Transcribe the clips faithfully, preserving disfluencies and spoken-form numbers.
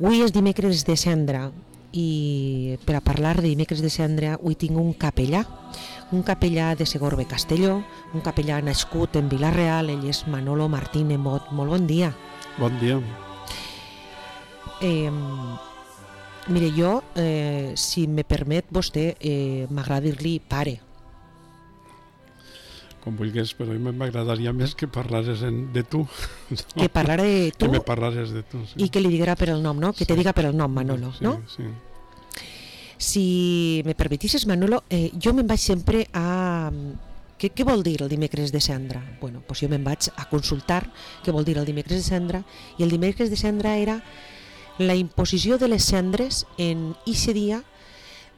Avui és dimecres de cendra i per a parlar de dimecres de cendra avui tinc un capellà, un capellà de Segorbe Castelló, un capellà nascut en Vila-real, ell és Manolo Martín Emot. Molt bon dia. Bon dia. Eh, mire, jo, eh, si me permet vostè, eh, m'agrada dir-li pare. Com vulguis, però a mi m'agradaria més que parlares en, de tu. No? Que parlara de tu que me parlares de tu, sí. I que li diguera per el nom, no? Que sí. Te diga per el nom, Manolo, sí, no? Sí. Si me permetisses, Manolo, eh, jo me'n vaig sempre a... Què, què vol dir el dimecres de cendra? Bueno, doncs jo me'n vaig a consultar què vol dir el dimecres de cendra, i el dimecres de cendra era la imposició de les cendres en ixe dia,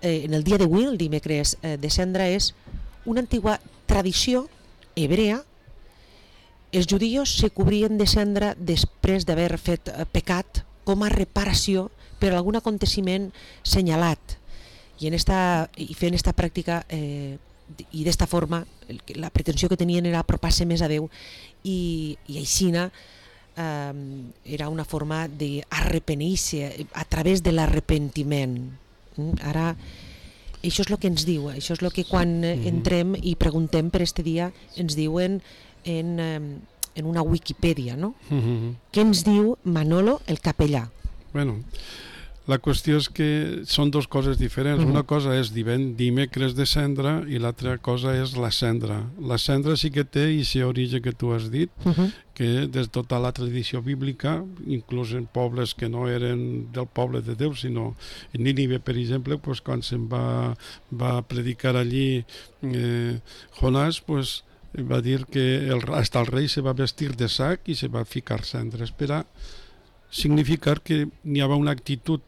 eh, en el dia d'avui, el dimecres eh, de cendra és una antigua tradició hebrea. Els judios se cobrien de cendra després d'haver fet eh, pecat com a reparació per algun aconteciment senyalat, i, en esta, i fent esta pràctica eh, i d'esta forma la pretensió que tenien era apropar-se més a Déu, i, i aixina eh, era una forma d'arrepenir-se a través de l'arrepentiment. Ara això és el que ens diu, això és el que quan entrem i preguntem per este dia ens diuen en, en una Wikipedia, no? Uh-huh. Què ens diu Manolo, el capellà? Bueno, la qüestió és que són dues coses diferents. Uh-huh. Una cosa és dimecres de cendra i l'altra cosa és la cendra. La cendra sí que té aquest origen que tu has dit, uh-huh. que des de tota la tradició bíblica, inclús en pobles que no eren del poble de Déu, sinó en Nínive, per exemple, pues, quan se'n va, va predicar allí eh, Jonàs, pues, va dir que el, hasta el rei se va vestir de sac i se va ficar cendres per a significar que n'hi havia una actitud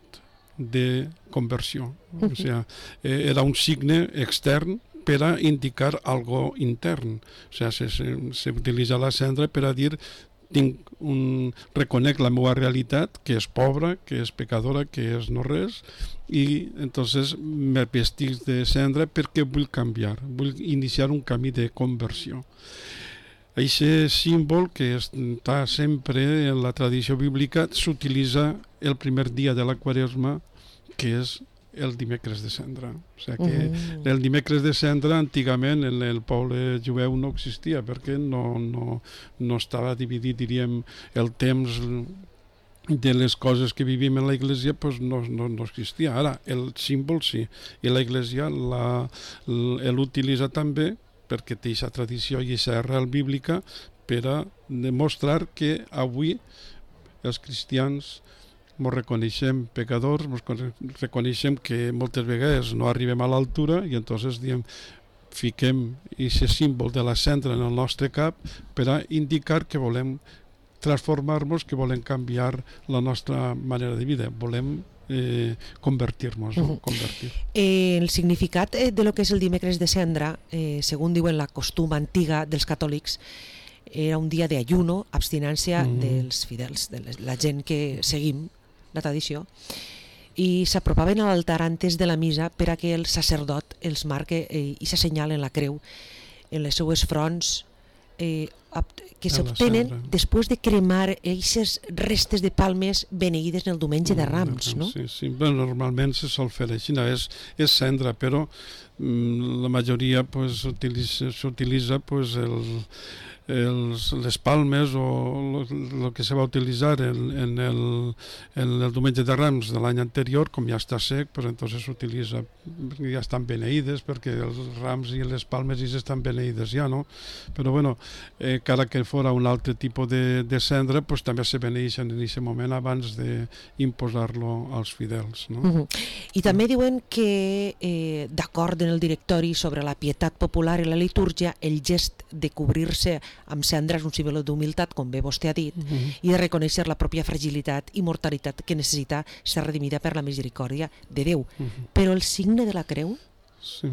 de conversió. Uh-huh. O sigui, eh, era un signe extern per a indicar algo intern. O sigui, se, se, se utilitza la cendra per a dir tinc un, reconec la meva realitat, que és pobra, que és pecadora, que és no res, i entonces me vestic de cendra perquè vull canviar, vull iniciar un camí de conversió. Aquest símbol que està sempre en la tradició bíblica s'utilitza el primer dia de la Quaresma, que és el dimecres de cendra. O sigui que uh-huh. el dimecres de cendra antigament en el poble jueu no existia, perquè no, no, no estava dividit, diríem, el temps de les coses que vivim en la Iglesia, pues no, no, no existia. Ara, el símbol sí, i la Iglesia l'utilitza també perquè té aquesta tradició i aquesta arrel bíblica per a demostrar que avui els cristians ens reconeixem pecadors, ens reconeixem que moltes vegades no arribem a l'altura i entonces diem, fiquem aquest símbol de la cendra en el nostre cap per a indicar que volem transformar-nos, que volem canviar la nostra manera de vida, volem Eh, convertir-nos, uh-huh. convertir. Eh, el significat eh, de lo que és el dimecres de cendra, eh, segons diuen la costum antiga dels catòlics, era un dia d'ayuno, abstinència uh-huh. dels fidels, de la gent que seguim la tradició, i s'apropaven a l'altar antes de la missa per a que el sacerdot els marque eh, i s'assenyalen la creu en les seues fronts, eh, que s'obtenen després de cremar aquestes restes de palmes beneïdes en el diumenge de Rams, no? Sí, sí. Bueno, normalment se sol fer així, és, és cendra, però mm, la majoria pues, s'utilitza pues, el, els, les palmes o el que se va utilitzar en, en, el, en el diumenge de Rams de l'any anterior, com ja està sec, pues, entonces s'utilitza, ja estan beneïdes, perquè els rams i les palmes ja estan beneïdes ja, no? Però bueno, eh, cara que fora un altre tipus de, de cendra, pues, també se beneixen en aquest moment abans d'imposar-lo als fidels, no? Uh-huh. I també diuen que, eh, d'acord en el directori sobre la pietat popular i la litúrgia, el gest de cobrir-se amb cendra és un símbol d'humilitat, com bé vostè ha dit, uh-huh. i de reconèixer la pròpia fragilitat i mortalitat que necessita ser redimida per la misericòrdia de Déu. Uh-huh. Però el signe de la creu? Sí.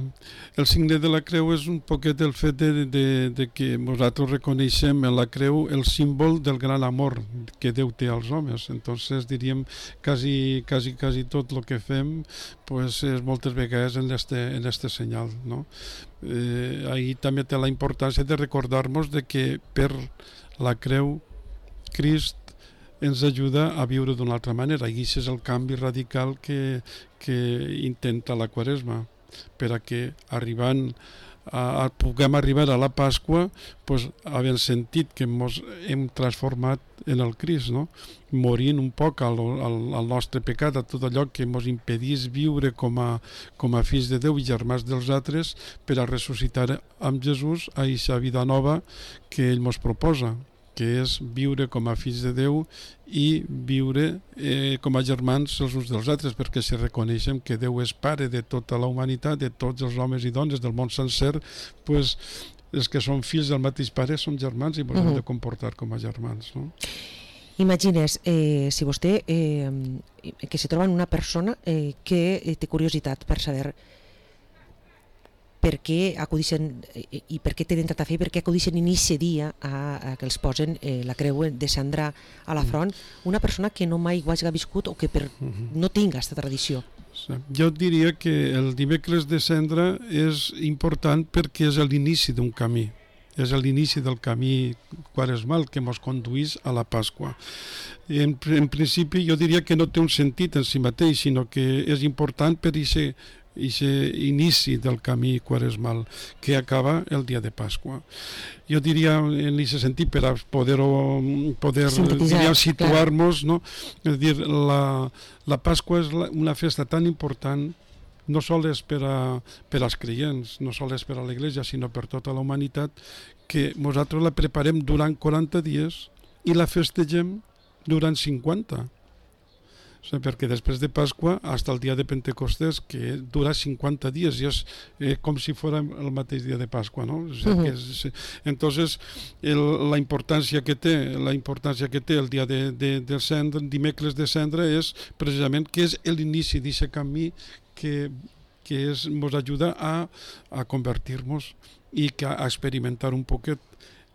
El signe de la creu és un poquet el fet de, de, de que nosaltres reconeixem en la creu el símbol del gran amor que Déu té als homes. Entonces diríem quasi, quasi, quasi tot el que fem pues, és moltes vegades en este, en este senyal, no? Eh, ahí també té la importància de recordar-nos de que per la creu Crist ens ajuda a viure d'una altra manera, i aquest és el canvi radical que, que intenta la Quaresma, per a que arribant a, a puguem arribar a la Pasqua, pues, havent sentit que ens hem transformat en el Crist, no? Morint un poc al, al, al nostre pecat, a tot allò que ens impedís viure com a, com a fills de Déu i germans dels altres, per a ressuscitar amb Jesús a aquesta vida nova que ell ens proposa, que és viure com a fills de Déu i viure eh, com a germans els uns dels altres, perquè si reconeixem que Déu és pare de tota la humanitat, de tots els homes i dones del món sencer, pues, els que són fills del mateix pare són germans i ens hem uh-huh. de comportar com a germans, no? Imagines, eh, si vostè eh, que se troba en una persona eh, que té curiositat per saber per què acudixen eh, i per què tenen tanta fe, per què acudixen inici dia a, a que els posen eh, la creu de cendra a la front, una persona que no mai ho hagi viscut o que per, no tinga aquesta tradició. Jo diria que el dimecres de cendra és important perquè és l'inici d'un camí, és l'inici del camí quaresmal que ens conduís a la Pasqua. En, en principi jo diria que no té un sentit en si mateix, sinó que és important per aquest inici del camí quaresmal que acaba el dia de Pasqua. Jo diria en aquest sentit, per a poder-ho poder, poder situar-nos, no? És dir, la, la Pasqua és la, una festa tan important, no sols per, a, per als creients, no sols per a l'Església, sinó per tota la humanitat, que nosaltres la preparem durant quaranta dies i la festegem durant cinquanta. O sigui, perquè després de Pasqua fins al dia de Pentecostés, que dura cinquanta dies, i és eh, com si fos el mateix dia de Pasqua, no? O sigui, uh-huh. que és, entonces, el, la importància que té, la importància que té el dia de, de, de cendra, dimecres de cendra, és precisament que és l'inici d'aquest camí que, que és, ens ajuda a, a convertir-nos i que a experimentar un poquet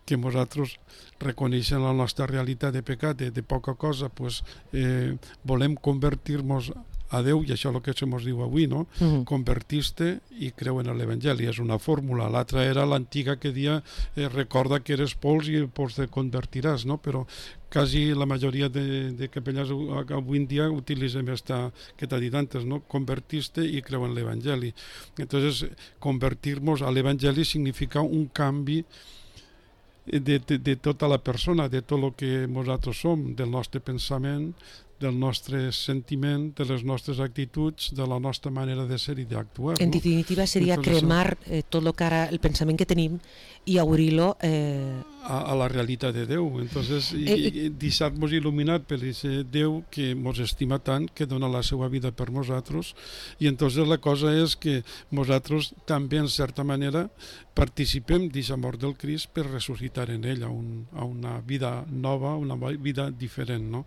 que nosaltres reconeixent la nostra realitat de pecat, de, de poca cosa, pues, eh, volem convertir-nos a Déu, i això és el que se'ns diu avui, no? Uh-huh. Convertir-te i creu en l'Evangeli, és una fórmula. L'altra era l'antiga que dia eh, recorda que eres pols i pols te convertiràs, no? Però quasi la majoria de, de capellans avui en dia utilitzem esta que t'ha dit antes, no? Convertir-te i creu en l'Evangeli. Entonces, convertir-nos a l'Evangeli significa un canvi De, de, de tota la persona, de tot el que nosaltres som, del nostre pensament, del nostre sentiment, de les nostres actituds, de la nostra manera de ser i d'actuar. En no? definitiva seria Entonces, cremar eh, tot el que ara, el pensament que tenim i obrir-lo eh... a, a la realitat de Déu. Entonces, i, eh, i deixar-nos il·luminat per aquest Déu que ens estima tant, que dona la seva vida per nosaltres, i entonces la cosa és que nosaltres també, en certa manera, participem d'aquesta mort del Crist per ressuscitar en ell a, un, a una vida nova, una vida diferent, no?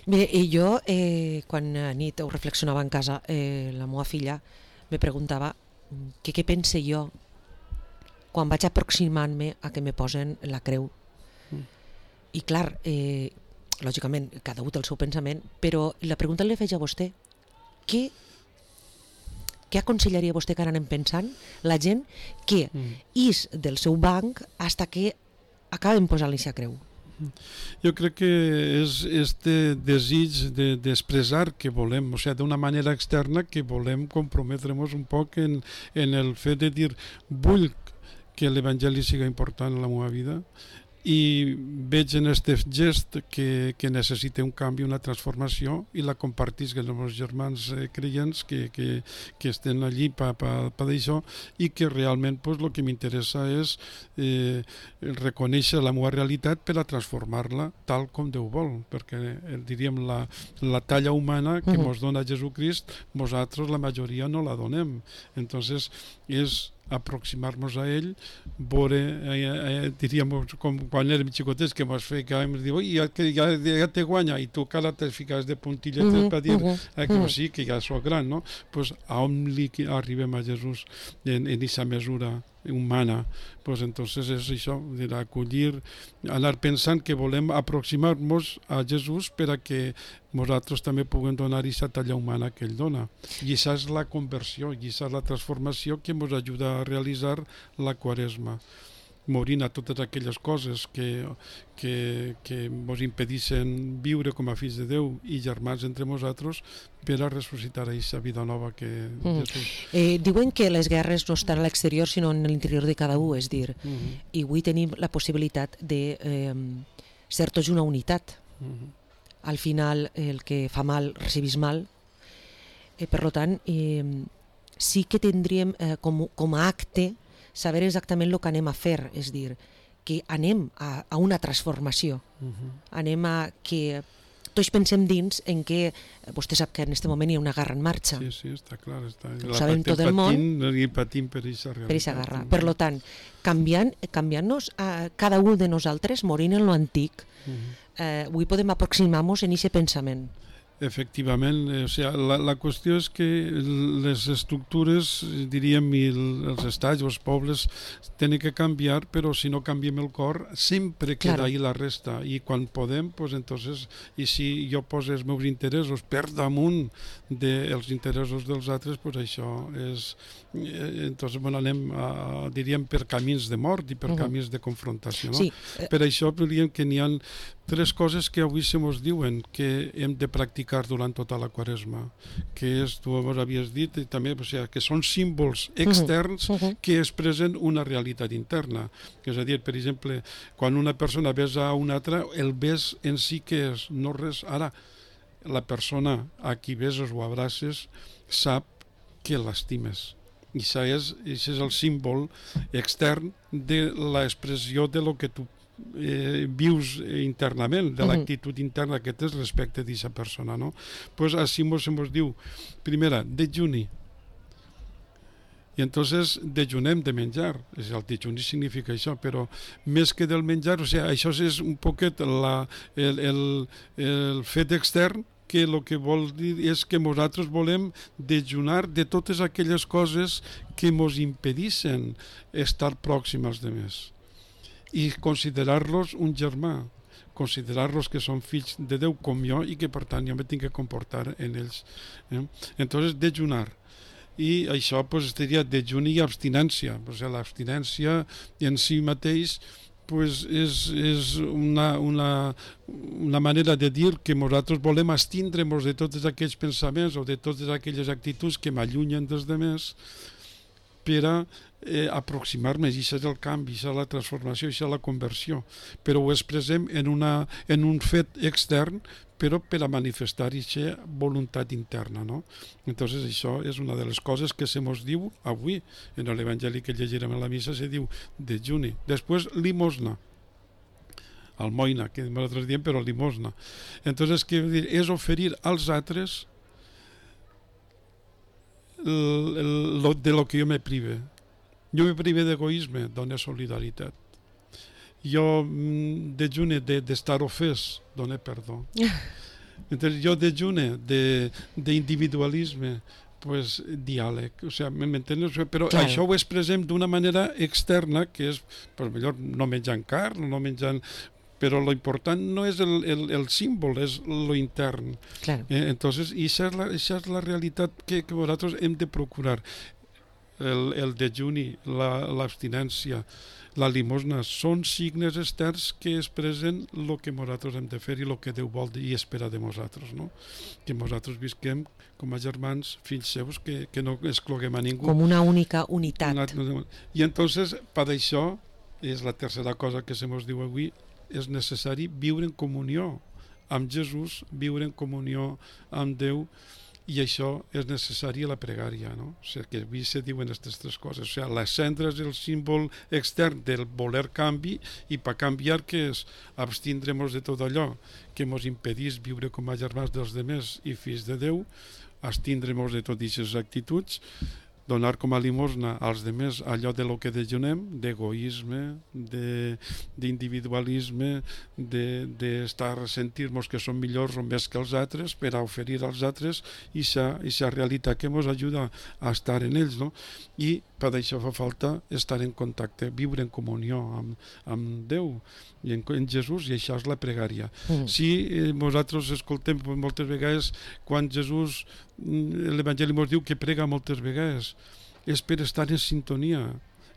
Bé, i jo, eh, quan a nit ho reflexionava en casa, eh, la meva filla me preguntava que què pense jo quan vaig aproximant-me a que me posen la creu. Mm. I clar, eh, lògicament, cada un té el seu pensament, però la pregunta li feia a vostè, què, què aconsellaria vostè que ara anem pensant la gent que mm. és del seu banc fins que acaben posant-li la creu? Jo crec que és este desig de, d'expressar que volem, o sigui, d'una manera externa, que volem comprometre'ns un poc en, en el fet de dir vull que l'Evangeli siga important en la meva vida i veig en aquest gest que, que necessita un canvi, una transformació, i la compartisc amb els meus germans eh, creients que, que, que estan allí per pa, pa d'això, i que realment pues, el que m'interessa és eh, reconèixer la meva realitat per a transformar-la tal com Déu vol, perquè eh, diríem la, la talla humana que ens uh-huh. dona Jesucrist, nosaltres la majoria no la donem. Entonces és aproximar-nos a ell, veure, eh, eh, diríem, com quan érem xicotets, que ens feia que ens diu, ja, ja, ja te guanya, i tu cara te fiques de puntilletes uh-huh, per dir uh-huh, eh, que uh-huh. sí, que ja soc gran, no? Pues a on li arribem a Jesús en aquesta mesura humana, pues entonces és això, acollir, anar pensant que volem aproximar-nos a Jesús per a que nosaltres també puguem donar aquesta talla humana que ell dona. I això és la conversió, i això és la transformació que ens ajuda a realitzar la Quaresma. morint a totes aquelles coses que, que, que mos impedissin viure com a fills de Déu i germans entre nosaltres, per a ressuscitar aquesta vida nova que mm. Jesús... Eh, diuen que les guerres no estan a l'exterior sinó en l'interior de cada un, és dir, mm -hmm. i avui tenim la possibilitat de eh, ser tots una unitat. Mm -hmm. Al final el que fa mal recibís mal, eh, per tant eh, sí que tindríem eh, com, com a acte saber exactament el que anem a fer, és dir, que anem a, a una transformació, uh -huh. anem a que tots pensem dins en que, vostè sap que en aquest moment hi ha una guerra en marxa. Sí, sí, està clar. Està. Ho sabem tot el món. I patim per aquesta realitat. Per aquesta guerra. Per tant, canviant, canviant-nos a cada un de nosaltres, morint en l'antic, uh -huh. eh, avui podem aproximar-nos en aquest pensament. Efectivament, o sigui, la, la qüestió és que les estructures, diríem, i els estats o els pobles tenen que canviar, però si no canviem el cor sempre queda claro. ahí la resta, i quan podem, pues entonces, i si jo poso els meus interessos per damunt dels interessos dels altres, pues això és, entonces bueno, anem a, diríem, per camins de mort i per uh-huh. camins de confrontació, no? Sí. Per això diríem que n'hi ha tres coses que avui se mos diuen que hem de practicar durant tota la Quaresma, que és, tu ho havies dit, i també, o sigui, que són símbols externs uh -huh. que expressen una realitat interna. És a dir, per exemple, quan una persona besa a una altra, el bes en si que és, no res. Ara, la persona a qui beses o abraces sap que l'estimes. I això és, això és el símbol extern de l'expressió de lo que tu Eh, vius internament, de l'actitud interna que tens respecte d'aquesta persona, no? Pues així mos, mos diu, primera, dejuni. I entonces dejunem de menjar. El dejuni significa això, però més que del menjar, o sigui, això és un poquet la, el, el, el fet extern, que el que vol dir és que nosaltres volem dejunar de totes aquelles coses que mos impedissin estar pròxims als demés. I considerar-los un germà, considerar-los que són fills de Déu com jo i que per tant jo me tinc que comportar en ells. Eh? Entonces, dejunar. I això pues, seria dejuni i abstinència. O sigui, l'abstinència en si mateix pues, és, és una, una, una manera de dir que nosaltres volem abstindre-nos de tots aquells pensaments o de totes aquelles actituds que m'allunyen dels demés per a eh, aproximar-me, i això és el canvi, això és la transformació, això és la conversió, però ho expressem en, una, en un fet extern, però per a manifestar aquesta voluntat interna, no? Entonces això és una de les coses que se mos diu avui, en l'Evangeli que llegirem a la missa se diu dejuni. Després, limosna, almoina, que nosaltres diem, però limosna. Entonces, què vol dir? És oferir als altres el, el, lo, de lo que jo me prive. Jo me prive d'egoisme, dona solidaritat. Jo mm, dejune d'estar de, ofès, dona perdó. Entonces, jo dejune d'individualisme, pues diàleg, o sea, m'entens? Però claro. Això ho expressem d'una manera externa, que és, per millor, no menjant carn, no menjant... Però lo important no és el, el, el símbol, és lo intern. Claro. Eh, entonces, i això és la, això és la realitat que, que nosaltres hem de procurar. El, el dejuni, l'abstinència, la, la limosna, són signes externs que expressen el que nosaltres hem de fer i el que Déu vol i espera de nosaltres, no? Que nosaltres visquem com a germans, fills seus, que, que no excloguem a ningú. Com una única unitat. Una, I entonces, per això, és la tercera cosa que se mos diu avui, és necessari viure en comunió amb Jesús, viure en comunió amb Déu, i això és necessari a la pregària, no? O sigui, que avui se diuen aquestes tres coses. O sigui, la cendra és el símbol extern del voler canvi, i per canviar, què és? Abstindre-nos de tot allò que ens impedís viure com a germans dels demés i fills de Déu, abstindre-nos de totes aquestes actituds, donar com a limosna als demés allò de lo que dejunem, d'egoisme, d'individualisme, d'estar de, de sentir-nos que som millors o més que els altres per a oferir als altres aquesta realitat que ens ajuda a estar en ells, no? I per això fa falta estar en contacte, viure en comunió amb, amb Déu i en, en Jesús, i això és la pregària. Mm. Si eh, nosaltres escoltem moltes vegades quan Jesús, l'Evangeli ens diu que prega moltes vegades, és per estar en sintonia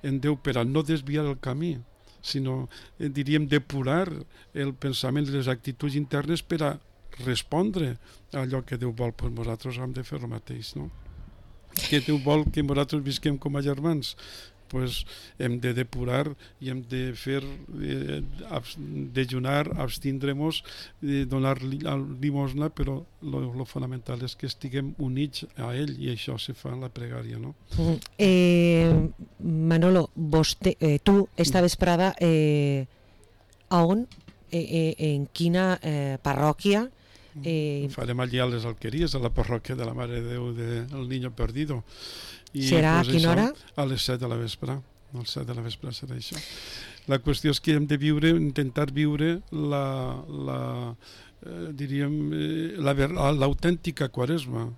en Déu, per a no desviar el camí. sinó, eh, diríem, depurar el pensament i les actituds internes per a respondre a allò que Déu vol. Pues nosaltres hem de fer el mateix, no? Que Déu vol que nosaltres visquem com a germans, pues hem de depurar i hem de fer eh, abs, dejunar, abstindre-nos, eh, donar limosna, però lo fonamental és que estiguem units a ell, i això se fa en la pregària, no? Eh, Manolo, vostè, eh, tu esta vesprada eh, a on, eh, eh, en quina eh, parròquia? Eh, farem allà a les Alqueries, a la parròquia de la Mare de Déu del Niño Perdido. I, serà pues, a quina hora? A les set de la vespre. A les set de la vespre serà això. La qüestió és que hem de viure, intentar viure la, la eh, diríem, eh, la, l'autèntica Quaresma,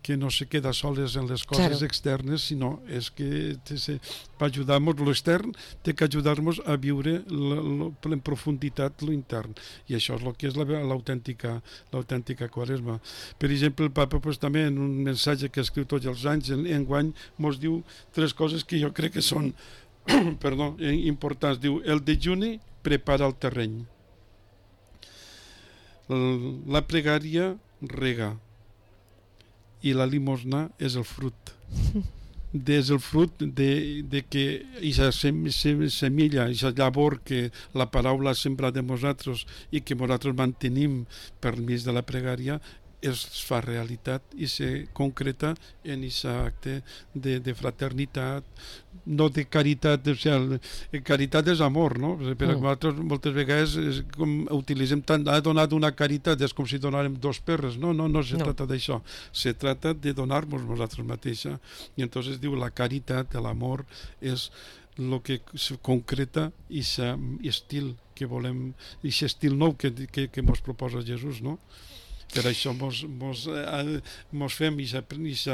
que no se queda soles en les coses claro. externes, sinó és que per ajudar-nos, l'extern té que ajudar-nos a viure la, la, en profunditat l'intern, i això és el que és l'autèntica l'autèntica Quaresma. Per exemple, el Papa pues, també en un missatge que escriu tots els anys, en, enguany mos diu tres coses que jo crec que són perdó, importants. Diu, el dejuni prepara el terreny, la pregària rega, i la limosna és el frut. És el fruit de, de que aquesta semilla, aquesta llavor que la paraula ha sembrat de nosaltres i que nosaltres mantenim per mig de la pregària, es fa realitat i se concreta en aquest acte de, de fraternitat, no de caritat, o sigui, caritat és amor, no? Per mm. nosaltres moltes vegades és com utilitzem tant, ha donat una caritat, és com si donàrem dos perres, no, no, no se no. trata d'això, se trata de donar-nos nosaltres mateixa, i entonces diu la caritat, l'amor és el que se concreta i aquest estil que volem, i aquest estil nou que, que, que mos proposa Jesús, no? Per això mos, mos, eh, mos fem aquest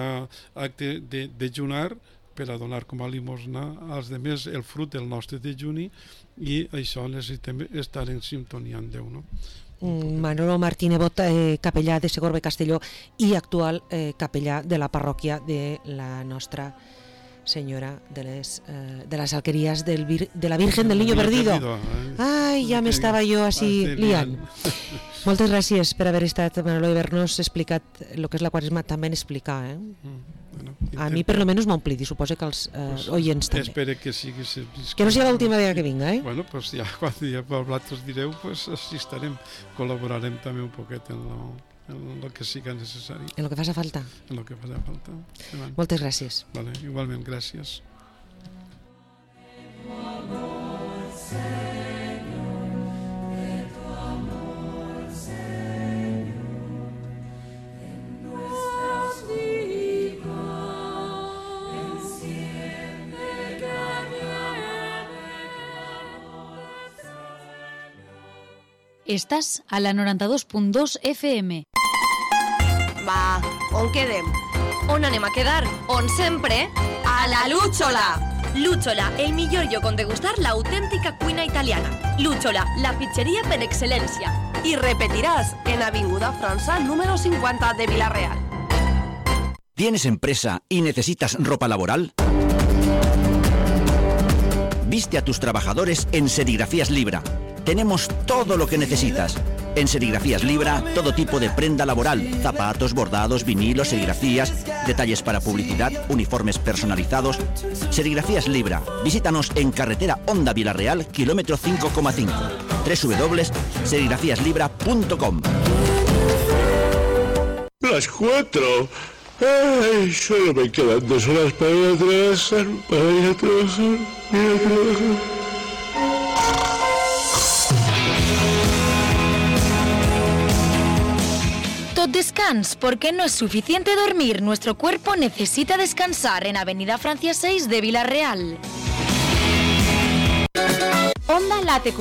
acte de dejunar per a donar com a limosna als demés el fruit del nostre dejuni, i això necessitem estar en sintonia amb Déu, no? Manolo Martínez Bot, eh, capellà de Segorbe Castelló i actual eh, capellà de la parròquia de la nostra Senyora de les, eh, de les Alqueries del Vir, de la Virgen del Niño Perdido. Ai, ja m'estava jo així liant. Moltes gràcies per haver estat, Manolo, i haver-nos explicat el que és la Quaresma, també en explicar. Eh? Mm, bueno, a mi per lo menos m'omplit, i suposo que els eh, pues, oients també. Espero que sigui... Que no sigui l'última vegada que vinga, eh? Bueno, pues ja quan ja vosaltres direu, pues així estarem. Col·laborarem també un poquet en lo, en lo que siga necessari. En lo que faci falta. En lo que faci falta. Bueno. Moltes gràcies. Vale, igualment, gràcies. Estàs a la noranta-dos punt dos F M. Va, on quedem? On anem a quedar? On sempre? A la Luchola! Luchola, el millor lloc on degustar l'autèntica cuina italiana. Luchola, la pizzeria per excel·lència. I repetiràs en Avinguda França número cincuenta de Vila-real. ¿Tienes empresa y necesitas ropa laboral? Viste a tus trabajadores en Serigrafías Libra. Tenemos todo lo que necesitas. En Serigrafías Libra, todo tipo de prenda laboral, zapatos, bordados, vinilos, serigrafías, detalles para publicidad, uniformes personalizados. Serigrafías Libra. Visítanos en carretera Honda Vila-real, kilómetro cinco coma cinco. doble u doble u doble u punto serigrafías libra punto com. Las cuatro. Ay, solo me quedan dos horas para ir a trabajar, para ir a trabajar, ir a trabajar. Descans, porque no es suficiente dormir, nuestro cuerpo necesita descansar. En Avenida Francia seis de Vila-real. Onda Late